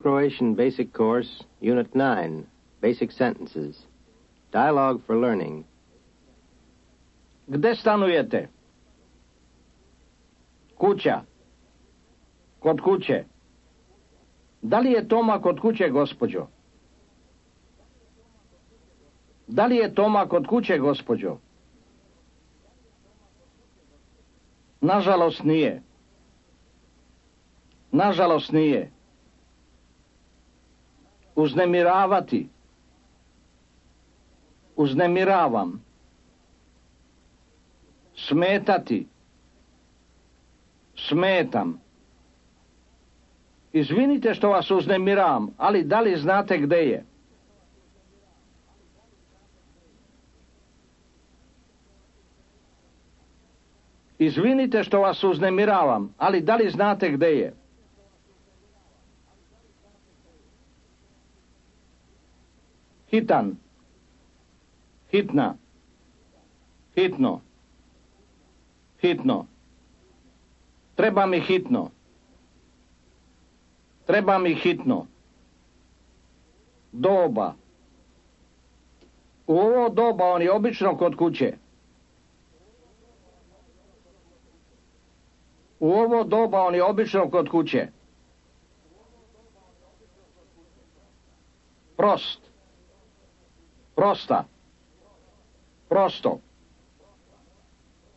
Croatian Basic Course, Unit 9, Basic Sentences. Dialogue for Learning. Gde stanujete? Kuća. Kod kuće. Da li je Toma kod kuće, gospođo? Da li je Toma kod kuće, gospođo? Nažalost nije. Nažalost nije. Uznemiravati. Uznemiravam. Smetati. Smetam. Izvinite što vas uznemiravam, ali da li znate gde je? Izvinite što vas uznemiravam, ali da li znate gde je? Hitan. Hitna. Hitno. Hitno. Treba mi hitno. Treba mi hitno. Doba. U ovo doba on je obično kod kuće. U ovo doba on je obično kod kuće. Prost. Prosta. Prosto.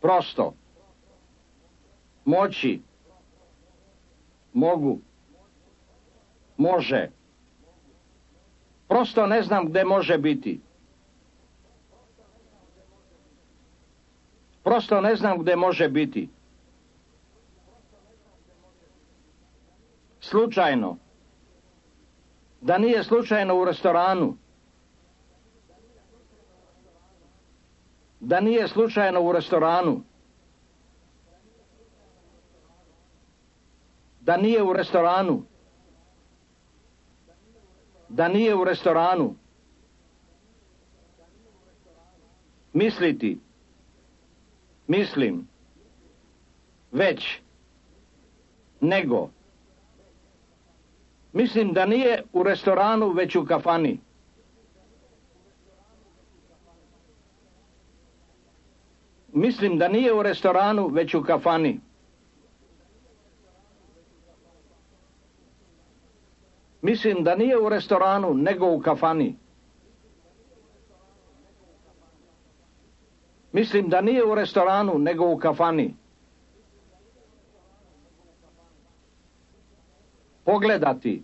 Prosto. Moći. Mogu. Može. Prosto ne znam gde može biti. Prosto ne znam gde može biti. Slučajno. Da nije slučajno u restoranu. Da nije slučajno u restoranu. Da nije u restoranu. Da nije u restoranu. Misliti. Mislim. Već. Nego. Mislim da nije u restoranu, već u kafani. Mislim da nije u restoranu, već u kafani. Mislim da nije u restoranu, nego u kafani. Mislim da nije u restoranu, nego u kafani. Pogledati.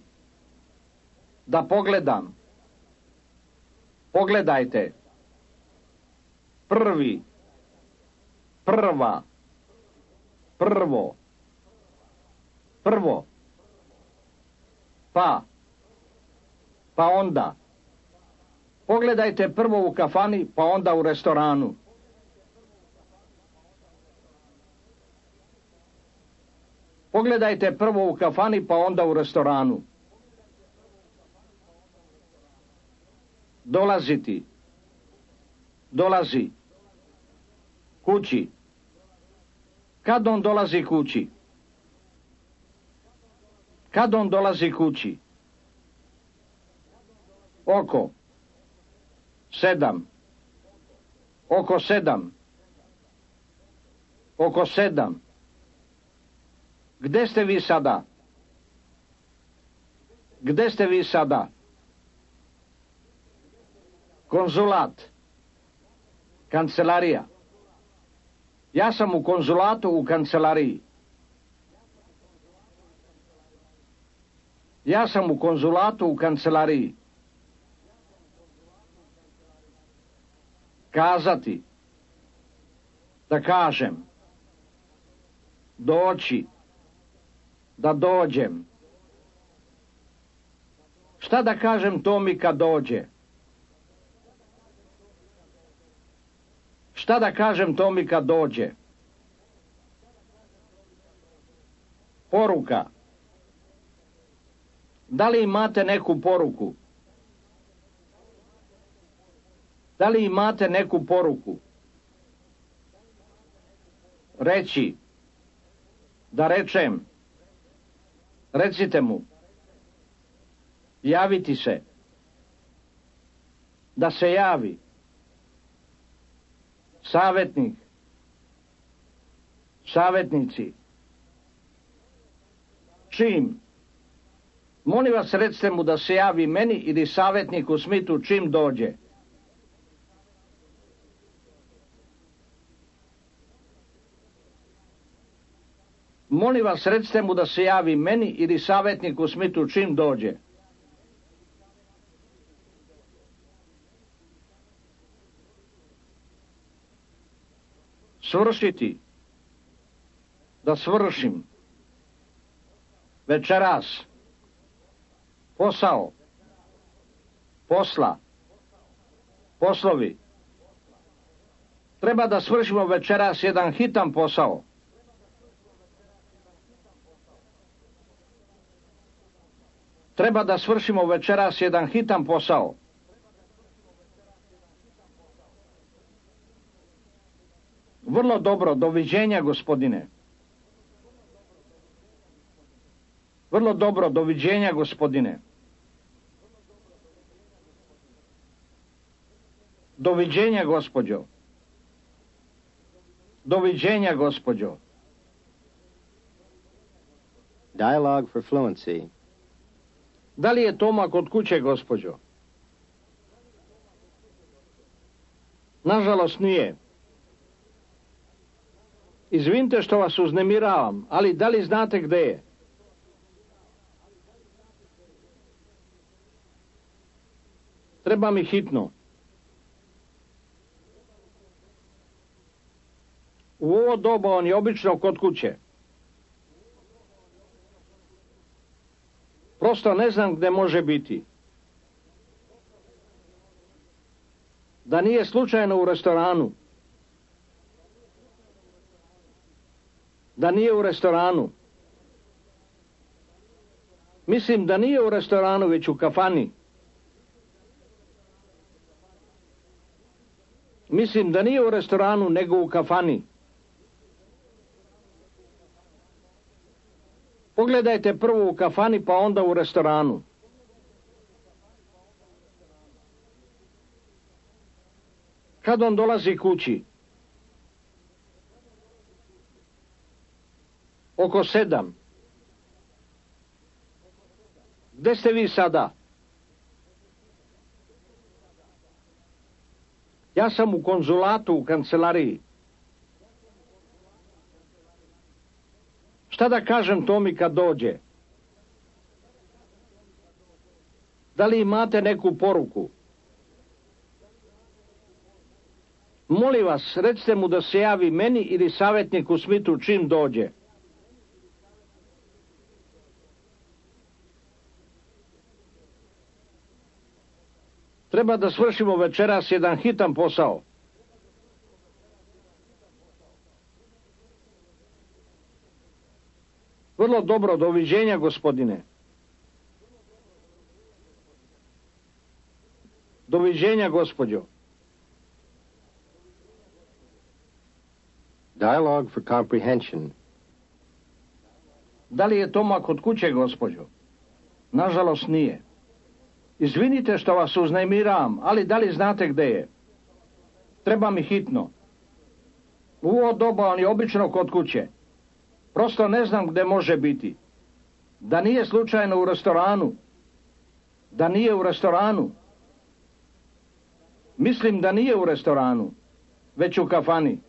Da pogledam. Pogledajte. Prvi. Prva. Prvo. Prvo. Pa. Pa onda. Pogledajte prvo u kafani, pa onda u restoranu. Pogledajte prvo u kafani, pa onda u restoranu. Dolaziti. Dolazi. Kući. Kad on dolazi kući? Kad on dolazi kući? Oko. 7. Oko 7. Oko 7. Gde ste vi sada? Gde ste vi sada? Konzulat. Kancelarija. Ja sam u konzulatu u kancelariji. Ja sam u konzulatu u kancelariji. Kazati. Da kažem. Doći. Da dođem. Šta da kažem Tomi kad dođe? Šta da kažem Tomi kad dođe? Poruka. Da li imate neku poruku? Da li imate neku poruku? Reći. Da rečem. Recite mu. Javiti se. Da se javi. Savjetnik. Savjetnici. Čim? Molim vas, recite mu da se javi meni ili savjetniku Smithu čim dođe. Molim vas, recite mu da se javi meni ili savjetniku Smithu čim dođe. Svršiti. Da svršim. Večeras. Posao. Posla. Poslovi. Treba da svršimo večeras jedan hitan posao. Treba da svršimo večeras jedan hitan posao. Vrlo dobro, doviđenja, gospodine. Vrlo dobro, doviđenja, gospodine. Doviđenja, gospođo. Doviđenja, gospođo. Dialogue for fluency. Da li je Toma kod kuće, gospođo? Nažalost nije. Izvinite što vas uznemiravam, ali da li znate gde je? Treba mi hitno. U ovo doba on je obično kod kuće. Prosto ne znam gde može biti. Da nije slučajno u restoranu. Da nije u restoranu. Mislim da nije u restoranu, već u kafani. Mislim da nije u restoranu, nego u kafani. Pogledajte prvo u kafani, pa onda u restoranu. Kad on dolazi kući? Oko 7. Gde ste vi sada? Ja sam u konzulatu, u kancelariji. Šta da kažem Tomi kad dođe? Da li imate neku poruku? Molim vas, recite mu da se javi meni ili savjetniku Smithu čim dođe. Treba da svršimo večeras jedan hitan posao. Vrlo dobro, doviđenja, gospodine. Doviđenja, gospođo. Dialogue for comprehension. Da li je Toma kod kuće, gospođo? Nažalost nije. Izvinite što vas uznemiravam, ali da li znate gde je? Treba mi hitno. U ovo doba on je obično kod kuće. Prosto ne znam gde može biti. Da nije slučajno u restoranu. Da nije u restoranu. Mislim da nije u restoranu, već u kafani.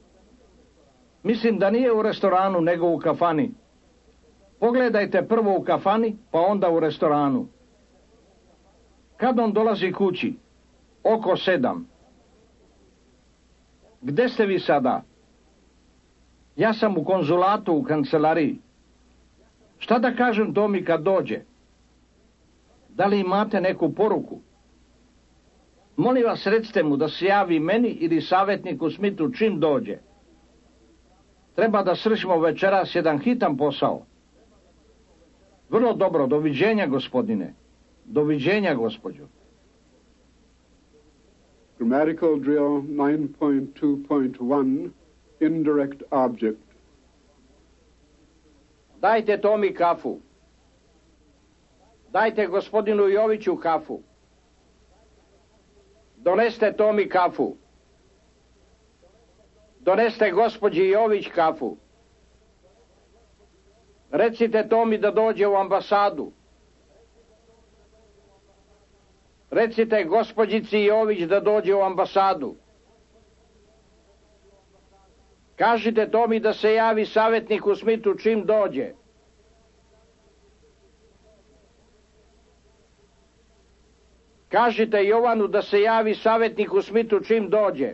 Mislim da nije u restoranu, nego u kafani. Pogledajte prvo u kafani, pa onda u restoranu. Kad on dolazi kući? Oko 7. Gde ste vi sada? Ja sam u konzulatu, u kancelariji. Šta da kažem Tomi kad dođe? Da li imate neku poruku? Molim vas, recite mu da se javi meni ili savjetniku Smithu čim dođe. Treba da svršimo večeras jedan hitan posao. Vrlo dobro, doviđenja, gospodine. Doviđenja, gospođo. Grammatical drill 9.2.1, indirect object. Dajte Tomi kafu. Dajte gospodinu Joviću kafu. Doneste Tomi kafu. Doneste gospođi Jović kafu. Recite Tomi da dođe u ambasadu. Recite gospođici Jović da dođe u ambasadu. Kažite Tomi da se javi savjetniku Smithu čim dođe. Kažite Jovanu da se javi savjetniku Smithu čim dođe.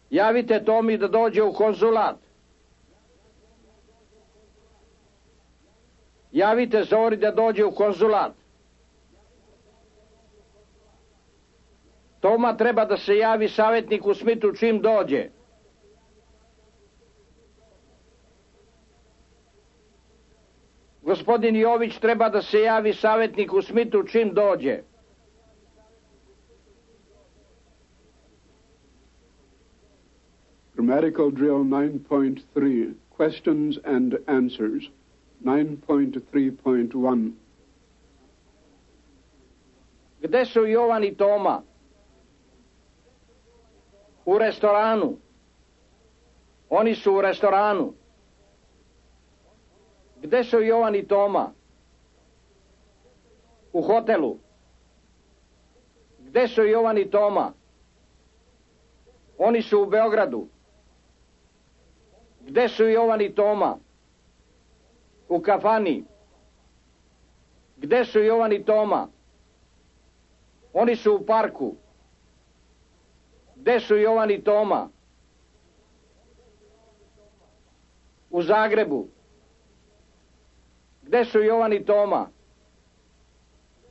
Javite Tomi da dođe u konzulat. Javite Zori da dođe u konzulat. Toma treba da se javi savjetniku Smithu čim dođe. Gospodin Jović treba da se javi savjetniku Smithu čim dođe. Grammatical drill 9.3, questions and answers. 9.3.1. Gde su Jovan i Toma? U restoranu. Oni su u restoranu. Gde su Jovan i Toma? U hotelu. Gde su Jovan i Toma? Oni su u Beogradu. Gde su Jovan i Toma? U kafani. Gde su Jovan i Toma? Oni su u parku. Gde su Jovan i Toma? U Zagrebu. Gde su Jovan i Toma?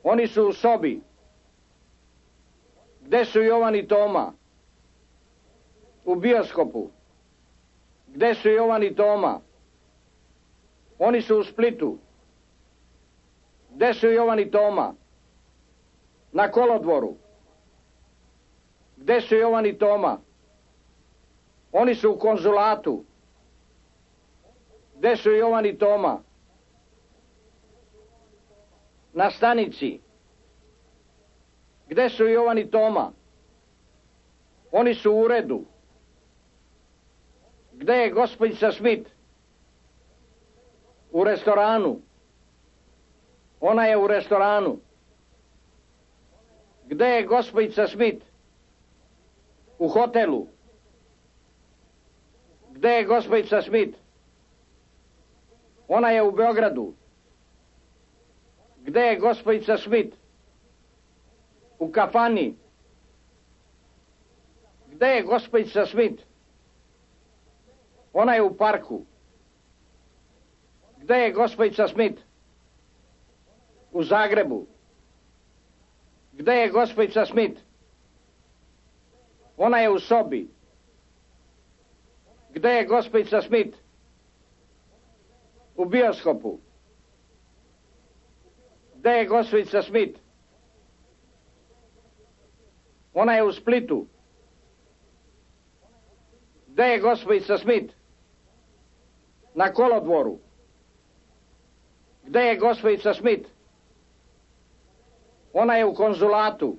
Oni su u sobi. Gde su Jovan i Toma? U bioskopu. Gde su Jovan i Toma? Oni su u Splitu. Gde su Jovan i Toma? Na kolodvoru. Gde su Jovan i Toma? Oni su u konzulatu. Gde su Jovan i Toma? Na stanici. Gde su Jovan i Toma? Oni su u uredu. Gde je gospođica Smith? U restoranu. Ona je u restoranu. Gde je gospođica Smith? U hotelu. Gde je gospođica Smith? Ona je u Beogradu. Gde je gospođica Smith? U kafani. Gde je gospođica Smith? Ona je u parku. Gde je gospođica Smith? U Zagrebu. Gde je gospođica Smith? Ona je u sobi. Gde je gospođica Smith? U bioskopu. Gde je gospođica Smith? Ona je u Splitu. Gde je gospođica Smith? Na kolodvoru. Gde je gospođica Smith? Ona je u konzulatu.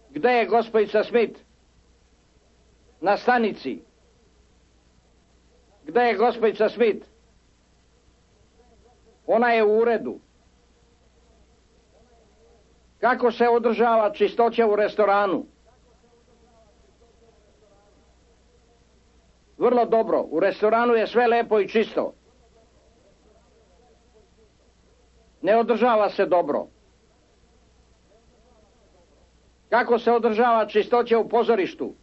Gde je gospođica Smith? Na stanici. Gde je gospođica Smith? Ona je u uredu. Kako se održava čistoća u restoranu? Vrlo dobro. U restoranu je sve lepo i čisto. Ne održava se dobro. Kako se održava čistoća u pozorištu?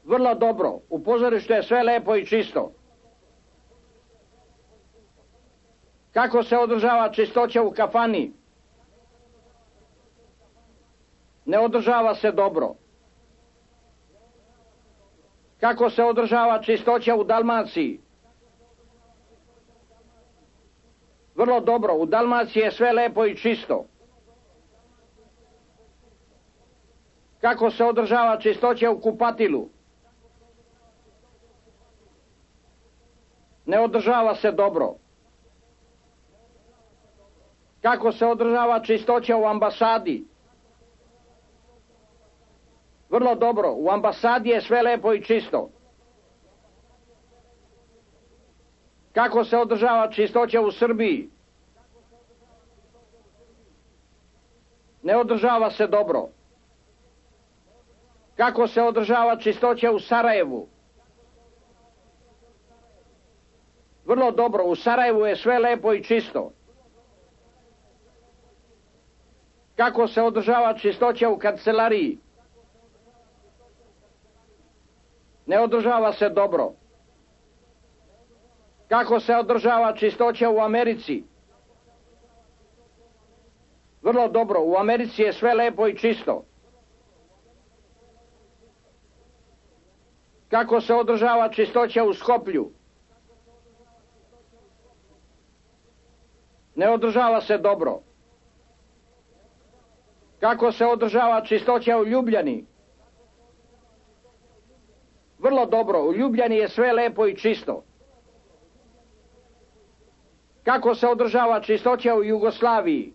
Vrlo dobro. U pozorištu je sve lepo i čisto. Kako se održava čistoća u kafani? Ne održava se dobro. Kako se održava čistoća u Dalmaciji? Vrlo dobro. U Dalmaciji je sve lepo i čisto. Kako se održava čistoća u kupatilu? Ne održava se dobro. Kako se održava čistoća u ambasadi? Vrlo dobro, u ambasadi je sve lepo i čisto. Kako se održava čistoća u Srbiji? Ne održava se dobro. Kako se održava čistoća u Sarajevu? Vrlo dobro, u Sarajevu je sve lepo i čisto. Kako se održava čistoća u kancelariji? Ne održava se dobro. Kako se održava čistoća u Americi? Vrlo dobro, u Americi je sve lepo i čisto. Kako se održava čistoća u Skoplju? Ne održava se dobro. Kako se održava čistoća u Ljubljani? Vrlo dobro, u Ljubljani je sve lepo i čisto. Kako se održava čistoća u Jugoslaviji?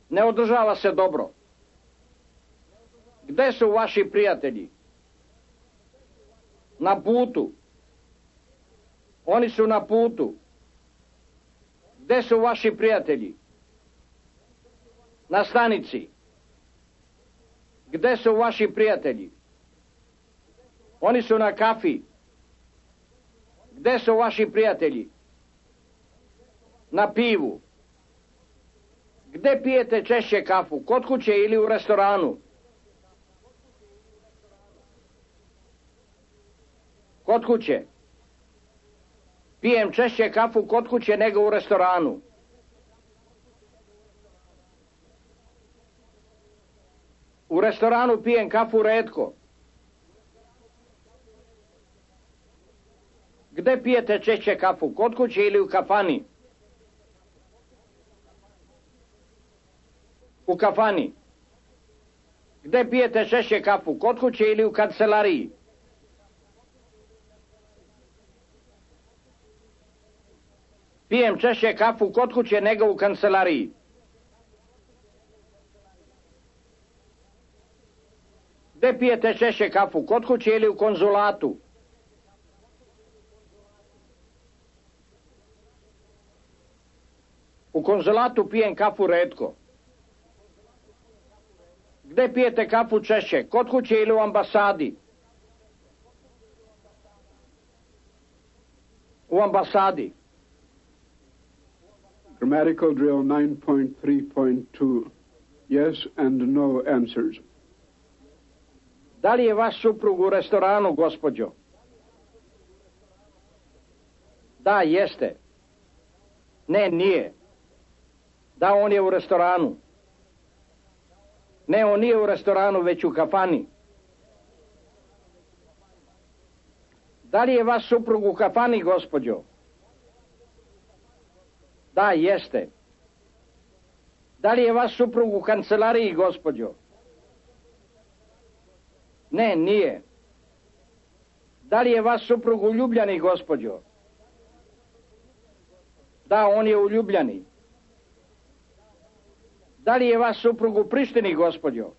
Ne održava se dobro. Gde su vaši prijatelji? Na putu. Oni su na putu. Gde su vaši prijatelji? Na stanici. Gde su vaši prijatelji? Oni su na kafi. Gde su vaši prijatelji? Na pivu. Gde pijete češće kafu? Kod kuće ili u restoranu? Kod kuće. Pijem češće kafu kod kuće nego u restoranu. U restoranu pijem kafu retko. Gde pijete češće kafu? Kod kuće ili u kafani? U kafani. Gde pijete češće kafu? Kod kuće ili u kancelariji? Pijem češće kafu kod kuće nego u kancelariji. Gde pijete češće kafu? Kod kuće ili u konzulatu? U konzulatu pijem kafu retko. Gde pijete kafu češće? Kod kuće ili u ambasadi? U ambasadi. Grammatical drill 9.3.2. Yes and no answers. Da li je vaš suprug u restoranu, gospođo? Da, jeste. Ne, nije. Da, on je u restoranu. Ne, on nije u restoranu, već u kafani. Da li je vaš suprug u kafani, gospođo? Da, jeste. Da li je vaš suprug u kancelariji, gospođo? Ne, nije. Da li je vaš suprug u Ljubljani, gospođo? Da, on je u Ljubljani. Da li je vaš suprug u Prištini, gospođo?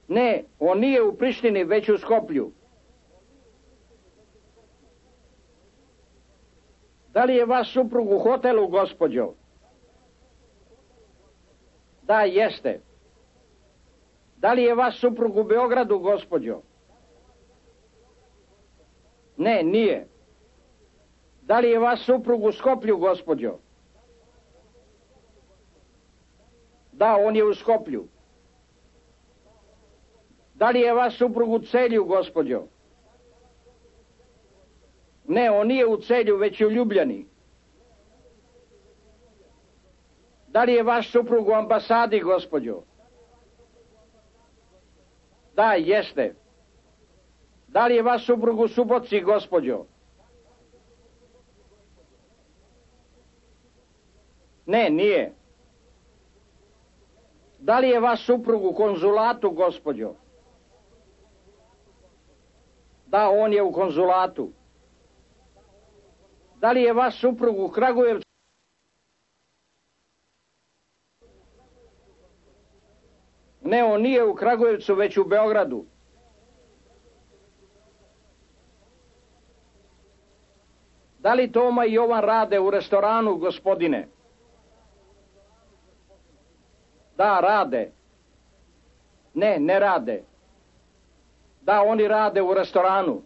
Ne, on nije u Prištini, već u Skoplju. Da li je vaš suprug u hotelu, gospođo? Da, jeste. Da li je vaš suprug u Beogradu, gospođo? Ne, nije. Da li je vaš suprug u Skoplju, gospođo? Da, on je u Skoplju. Da li je vaš suprug u Celju, gospođo? Ne, on nije u Celju, već u Ljubljani. Da li je vaš suprug u ambasadi, gospođo? Da, jeste. Da li je vaš suprug u Subotici, gospođo? Ne, nije. Da li je vaš suprug u konzulatu, gospođo? Da, on je u konzulatu. Da li je vaš suprug u Kragujevcu? Ne, on nije u Kragujevcu, već u Beogradu. Da li Toma i Jovan rade u restoranu, gospodine? Da, rade. Ne, ne rade. Da, oni rade u restoranu.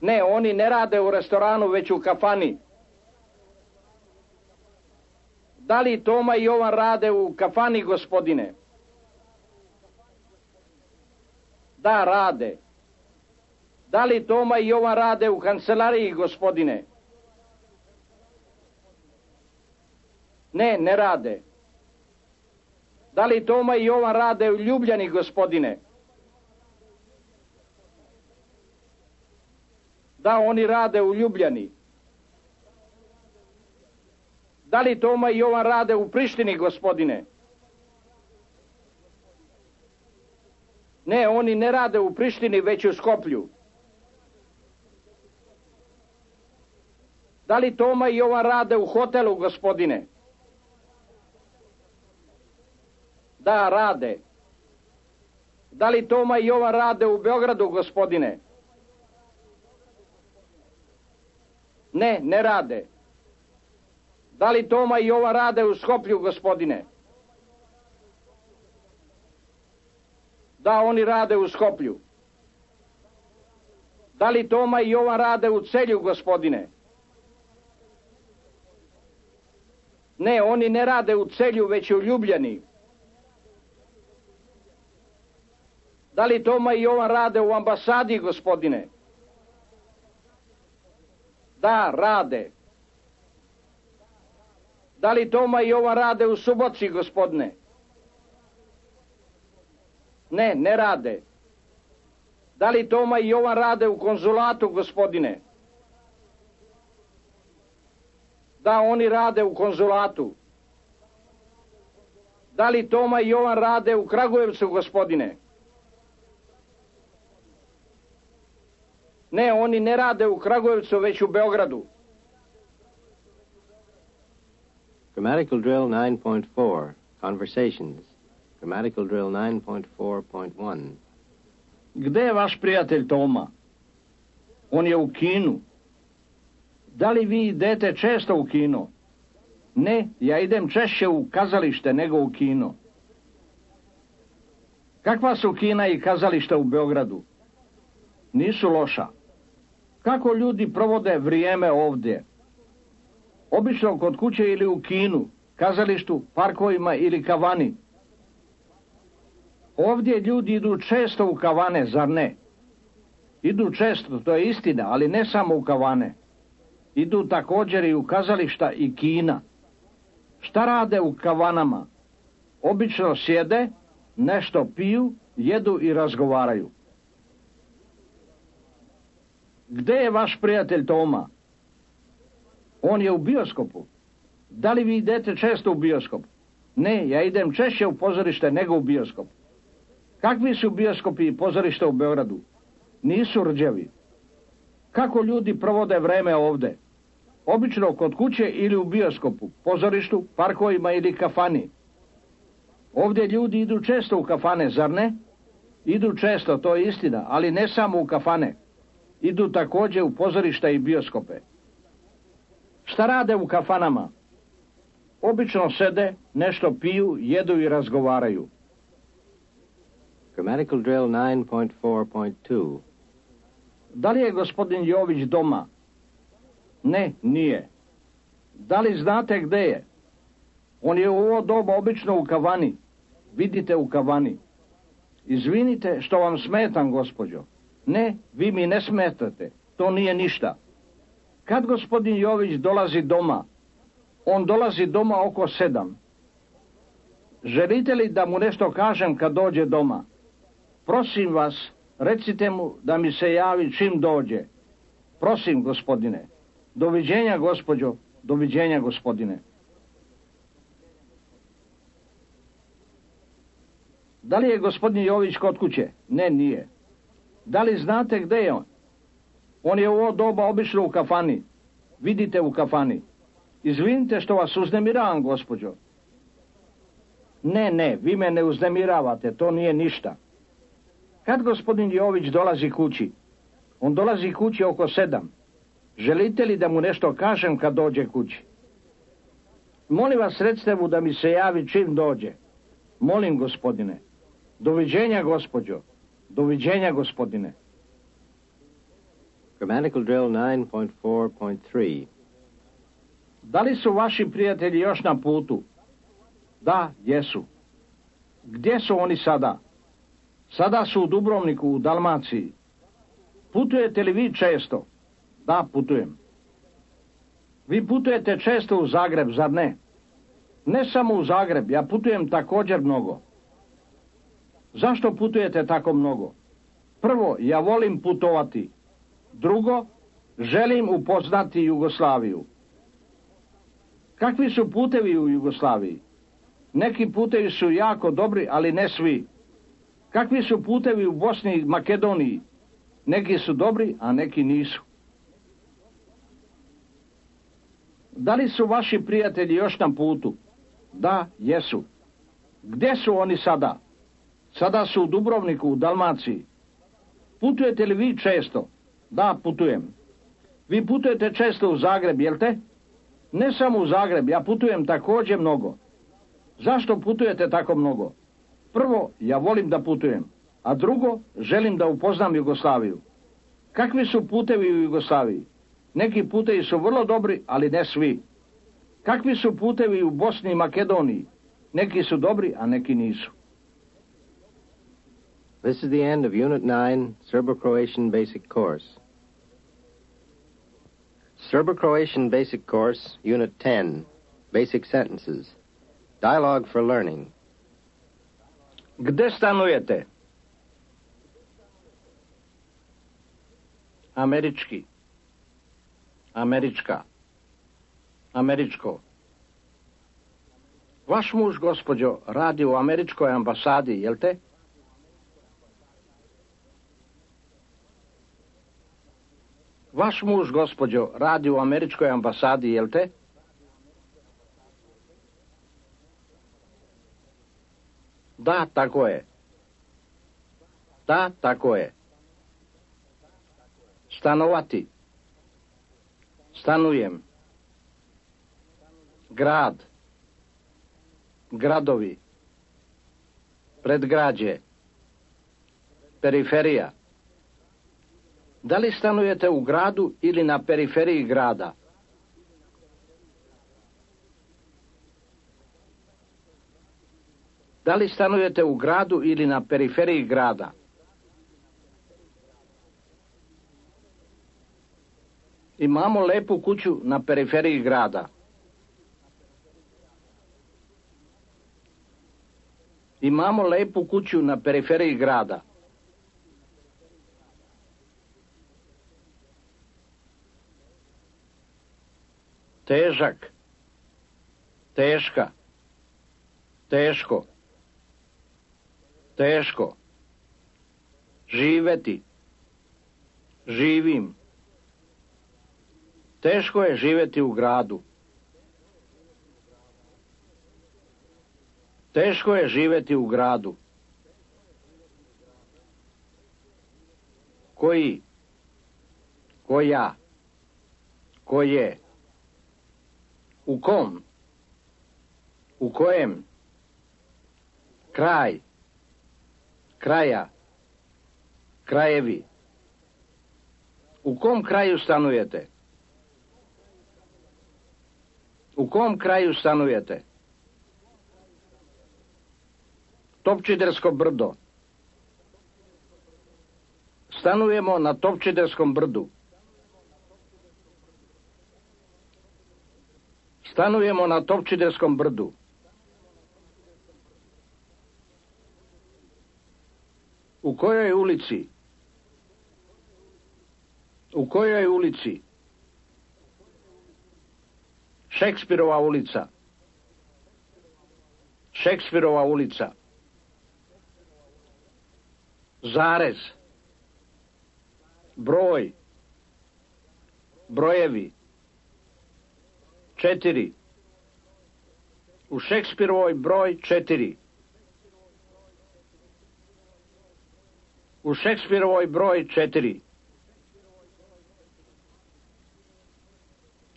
Ne, oni ne rade u restoranu, već u kafani. Da li Toma i Jovan rade u kafani, gospodine? Da, rade. Da li Toma i Jovan rade u kancelariji, gospodine? Ne, ne rade. Da li Toma i Jovan rade u Ljubljani, gospodine? Da, oni rade u Ljubljani. Da li Toma i Jovan rade u Prištini, gospodine? Ne, oni ne rade u Prištini, već u Skoplju. Da li Toma i Jovan rade u hotelu, gospodine? Da, rade. Da li Toma i Jovan rade u Beogradu, gospodine? Ne, ne rade. Da li Toma i Jovan rade u Skoplju, gospodine? Da, oni rade u Skoplju. Da li Toma i Jovan rade u Celju, gospodine? Ne, oni ne rade u Celju, već u Ljubljani. Da li Toma i Jovan rade u ambasadi, gospodine? Da, rade. Da li Toma i Jovan rade u Subotici, gospodine? Ne, ne rade. Da li Toma i Jovan rade u konzulatu, gospodine? Da, oni rade u konzulatu. Da li Toma i Jovan rade u Kragujevcu, gospodine? Ne, oni ne rade u Kragujevcu, već u Beogradu. Grammatical drill 9.4, Conversations. Grammatical drill 9.4.1. Gde je vaš prijatelj Toma? On je u kinu. Da li vi idete često u kino? Ne, ja idem češće u kazalište nego u kino. Kakva su kina i kazališta u Beogradu? Nisu loša. Kako ljudi provode vrijeme ovdje? Obično kod kuće ili u kinu, kazalištu, parkovima ili kavani. Ovdje ljudi idu često u kavane, zar ne? Idu često, to je istina, ali ne samo u kavane. Idu također i u kazališta i kina. Šta rade u kavanama? Obično sjede, nešto piju, jedu i razgovaraju. Gde je vaš prijatelj Toma? On je u bioskopu. Da li vi idete često u bioskop? Ne, ja idem češće u pozorište nego u bioskop. Kakvi su bioskopi i pozorište u Beogradu? Nisu rđevi. Kako ljudi provode vreme ovde? Obično kod kuće ili u bioskopu, pozorištu, parkovima ili kafani. Ovdje ljudi idu često u kafane, zar ne? Idu često, to je istina, ali ne samo u kafane. Idu također u pozorišta i bioskope. Šta rade u kafanama? Obično sede, nešto piju, jedu i razgovaraju. Grammatical drill 9.4.2. Da li je gospodin Jović doma? Ne, nije. Da li znate gde je? On je u ovo doba obično u kavani. Vidite u kavani. Izvinite što vam smetam, gospođo. Ne, vi mi ne smetate. To nije ništa. Kad gospodin Jović dolazi doma? On dolazi doma oko 7. Želite li da mu nešto kažem kad dođe doma? Prosim vas, recite mu da mi se javi čim dođe. Prosim, gospodine. Doviđenja, gospođo. Doviđenja, gospodine. Da li je gospodin Jović kod kuće? Ne, nije. Da li znate gde je on? On je u ovo doba obično u kafani. Vidite u kafani. Izvinite što vas uznemiravam, gospođo. Ne, vi me ne uznemiravate, to nije ništa. Kad gospodin Jović dolazi kući? On dolazi kući oko 7. Želite li da mu nešto kažem kad dođe kući? Molim vas, recite mu da mi se javi čim dođe. Molim, gospodine. Doviđenja, gospođo. Doviđenja, gospodine. Grammatical drill 9.4.3. Da li su vaši prijatelji još na putu? Da, jesu. Gdje su oni sada? Sada su u Dubrovniku, u Dalmaciji. Putujete li vi često? Da, putujem. Vi putujete često u Zagreb, zar ne? Ne samo u Zagreb, ja putujem također mnogo. Zašto putujete tako mnogo? Prvo, ja volim putovati. Drugo, želim upoznati Jugoslaviju. Kakvi su putevi u Jugoslaviji? Neki putevi su jako dobri, ali ne svi. Kakvi su putevi u Bosni i Makedoniji? Neki su dobri, a neki nisu. Da li su vaši prijatelji još na putu? Da, jesu. Gdje su oni sada? Sada su u Dubrovniku, u Dalmaciji. Putujete li vi često? Da, putujem. Vi putujete često u Zagreb, jel te? Ne samo u Zagreb, ja putujem također mnogo. Zašto putujete tako mnogo? Prvo, ja volim da putujem, a drugo, želim da upoznam Jugoslaviju. Kakvi su putevi u Jugoslaviji? Neki putevi su vrlo dobri, ali ne svi. Kakvi su putevi u Bosni i Makedoniji? Neki su dobri, a neki nisu. This is the end of Unit 9, Serbo-Croatian Basic Course. Serbo-Croatian Basic Course, Unit 10, Basic Sentences. Dialogue for Learning. Gde stanujete? Američki. Američka. Američko. Vaš muž, gospođo, radi u američkoj ambasadi, jel te? Vaš muž, gospođo, radi u američkoj ambasadi, jel te? Da, tako je. Da, tako je. Stanovati. Stanujem. Grad. Gradovi. Predgrađe. Periferija. Da li stanujete u gradu ili na periferiji grada? Da li stanujete u gradu ili na periferiji grada? Imamo lepu kuću na periferiji grada. Imamo lepu kuću na periferiji grada. Težak. Teška. Teško. Teško. Živeti. Živim. Teško je živjeti u gradu. Teško je živjeti u gradu. Koji? Koja? Koje? U kom? U kojem? Kraj. Kraja. Krajevi. U kom kraju stanujete? U kom kraju stanujete? Topčidersko brdo. Stanujemo na Topčiderskom brdu. Stanujemo na Topčiderskom brdu. U kojoj ulici? U kojoj ulici? Šekspirova ulica. Šekspirova ulica. Zarez. broj, brojevi. 4. U Šekspirovoj broj 4. U Šekspirovoj broj 4.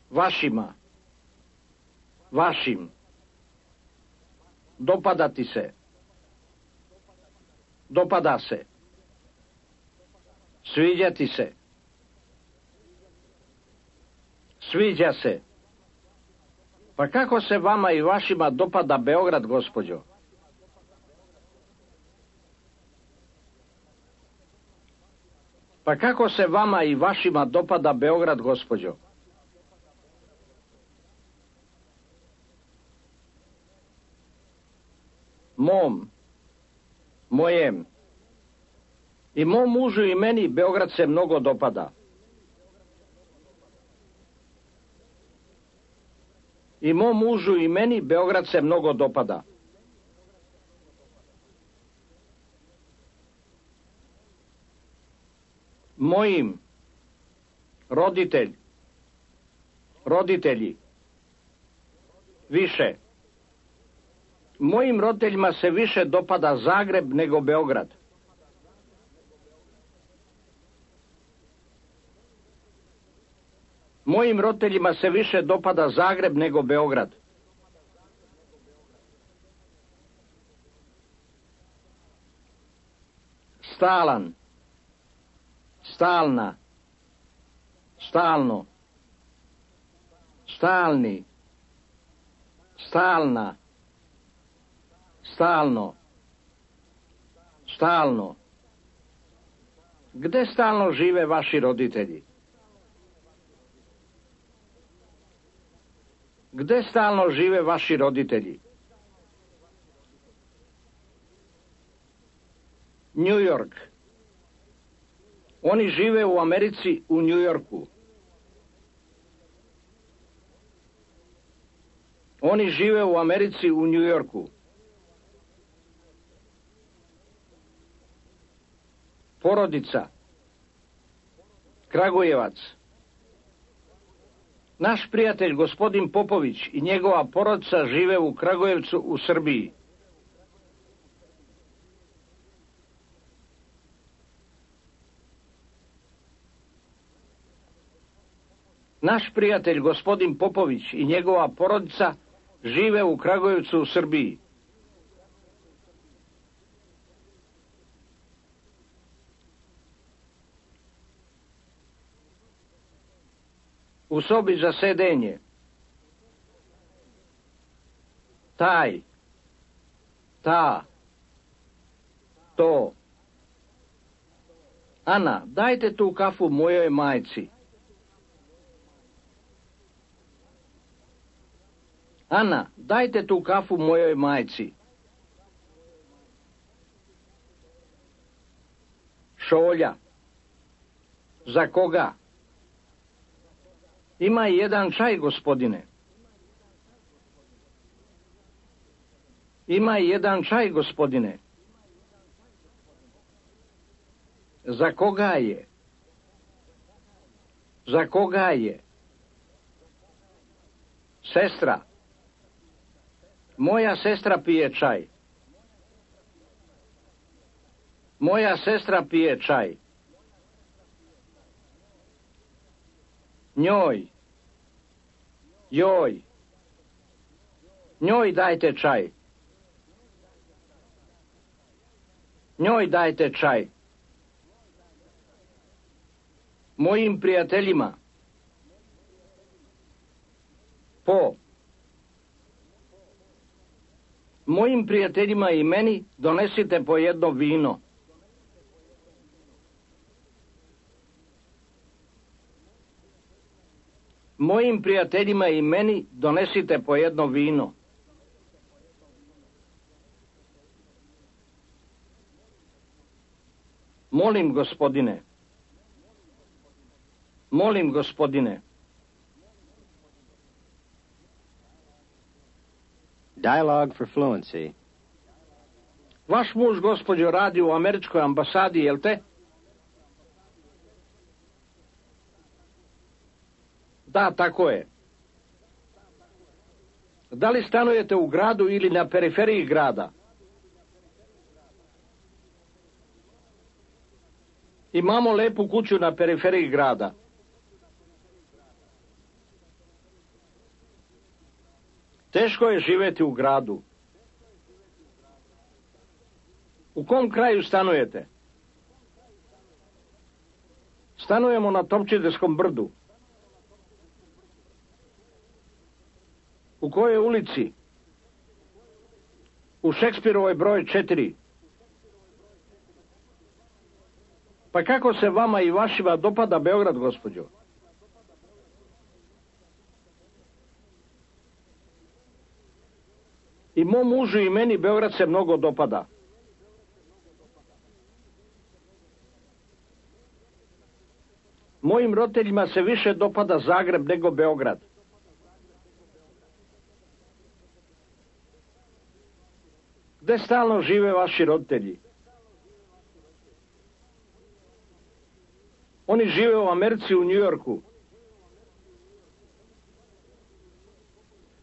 Vašima, vašim. Dopadati se, dopada se. Sviđati se, sviđa se. Pa kako se vama i vašima dopada Beograd, gospođo? Pa kako se vama i vašima dopada Beograd, gospođo? Mom, mojem. I mom mužu i meni Beograd se mnogo dopada. I mom mužu i meni Beograd se mnogo dopada. Mojim, roditelj, roditelji, više. Mojim roditeljima se više dopada Zagreb nego Beograd. Mojim roditeljima se više dopada Zagreb nego Beograd. Stalan, stalna, stalno, stalni, stalna, stalno, stalno. Gde stalno žive vaši roditelji? Gde stalno žive vaši roditelji? New York. Oni žive u Americi, u New Yorku. Oni žive u Americi, u New Yorku. Porodica. Kragujevac. Naš prijatelj gospodin Popović i njegova porodica žive u Kragujevcu u Srbiji. Naš prijatelj gospodin Popović i njegova porodica žive u Kragujevcu u Srbiji. U sobi za sedenje. Taj, ta, to. Ana, dajte tu kafu mojoj majci. Ana, dajte tu kafu mojoj majci. Šolja. Za koga? Ima i jedan čaj, gospodine. Ima i jedan čaj, gospodine. Za koga je? Za koga je? Sestra. Moja sestra pije čaj. Moja sestra pije čaj. Njoj. Joj. Njoj dajte čaj. Njoj dajte čaj. Mojim prijateljima. Po. Mojim prijateljima i meni donesite po jedno vino. Mojim prijateljima i meni donesite po jedno vino. Molim, gospodine. Molim, gospodine. Dialogue for fluency. Vaš muž, gospođo, radi u američkoj ambasadi, jel te? Da, tako je. Da li stanujete u gradu ili na periferiji grada? Imamo lepu kuću na periferiji grada. Teško je živjeti u gradu. U kom kraju stanujete? Stanujemo na Topčiderskom brdu. U kojoj ulici? U Šekspirovoj broj 4. Pa kako se vama i vašima dopada Beograd, gospođo? I mom mužu i meni Beograd se mnogo dopada. Mojim roditeljima se više dopada Zagreb nego Beograd. Gde stalno žive vaši roditelji? Oni žive u Americi, u Njujorku.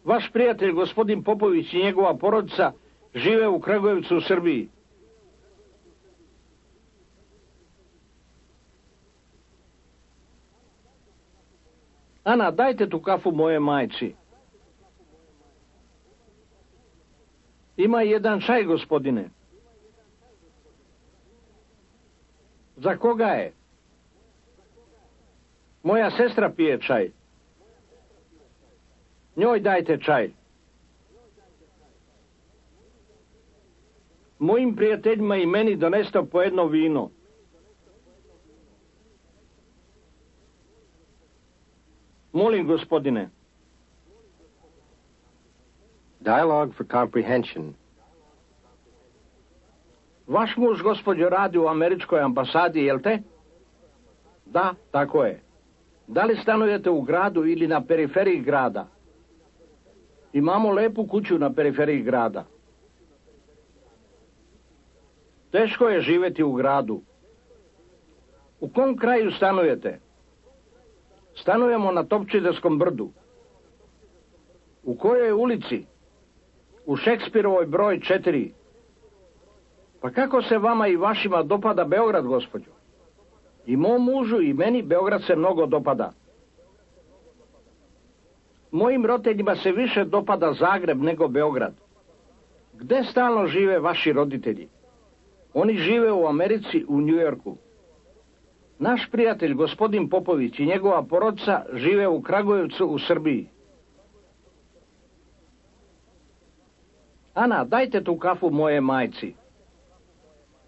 Vaš prijatelj, gospodin Popović i njegova porodica, žive u Kragujevcu, u Srbiji. Ana, dajte tu kafu moje majci. Ima jedan čaj, gospodine. Za koga je? Moja sestra pije čaj. Njoj dajte čaj. Mojim prijateljima i meni doneste po jedno vino. Molim, gospodine. Dialogue for comprehension. Vaš muž, gospođo, radi u američkoj ambasadi, jel te? Da, tako je. Da li stanujete u gradu ili na periferiji grada? Imamo lepu kuću na periferiji grada. Teško je živjeti u gradu. U kom kraju stanujete? Stanujemo na Topčiderskom brdu. U kojoj ulici? U Šekspirovoj broj 4. Pa kako se vama i vašima dopada Beograd, gospođo? I mom mužu i meni Beograd se mnogo dopada. Mojim roditeljima se više dopada Zagreb nego Beograd. Gde stalno žive vaši roditelji? Oni žive u Americi, u Njujorku. Naš prijatelj, gospodin Popović i njegova porodica žive u Kragujevcu, u Srbiji. Ana, dajte tu kafu moje majci.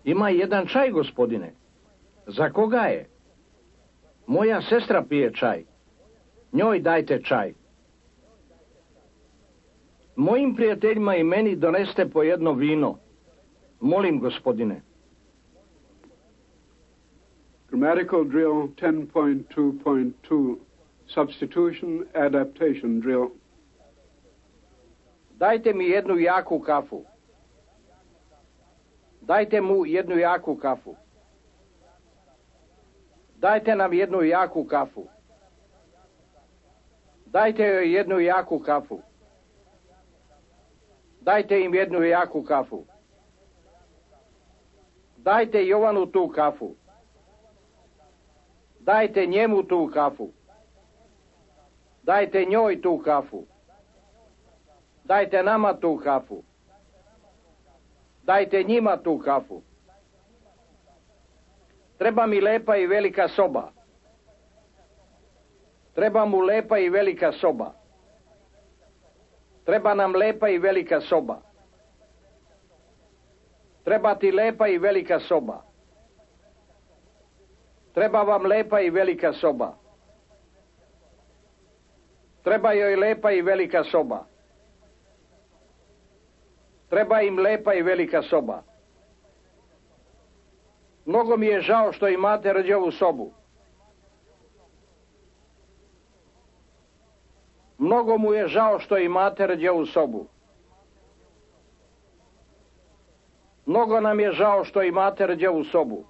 Ima jedan čaj, gospodine. Za koga je? Moja sestra pije čaj. Njoj dajte čaj. Mojim prijateljima i meni doneste po jedno vino. Molim, gospodine. Grammatical drill 10.2.2. Substitution adaptation drill. Dajte mi jednu jaku kafu. Dajte mu jednu jaku kafu. Dajte nam jednu jaku kafu. Dajte joj jednu jaku kafu. Dajte im jednu jaku kafu. Dajte Jovanu tu kafu. Dajte njemu tu kafu. Dajte njoj tu kafu. Dajte nama tu kafu. Dajte njima tu kafu. Treba mi lepa i velika soba. Treba mu lepa i velika soba. Treba nam lepa i velika soba. Treba ti lepa i velika soba. Treba vam lepa i velika soba. Treba joj lepa i velika soba. Treba im lepa i velika soba. Mnogo mi je žao što imate rđavu sobu. Mnogo mu je žao što imate rđavu sobu. Mnogo nam je žao što imate rđavu sobu.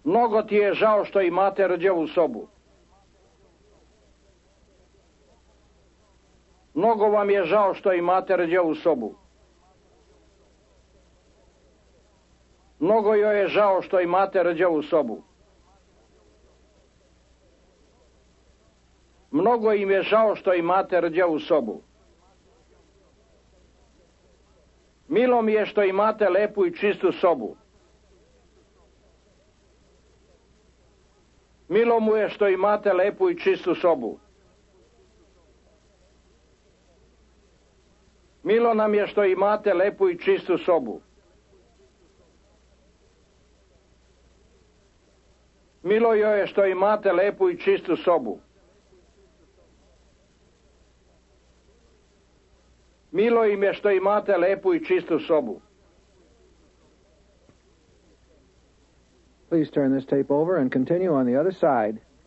Mnogo ti je žao što imate rđavu sobu. Mnogo vam je žao što imate rđavu sobu. Mnogo joj je žao što imate rđavu sobu. Mnogo im je žao što imate rđavu sobu. Milo mi je što imate lepu i čistu sobu. Milo mu je što imate lepu i čistu sobu. Milo nam je što imate lepu i čistu sobu. Milo joj je što imate lepu i čistu sobu. Milo im je što imate lepu i čistu sobu. Please turn this tape over and continue on the other side.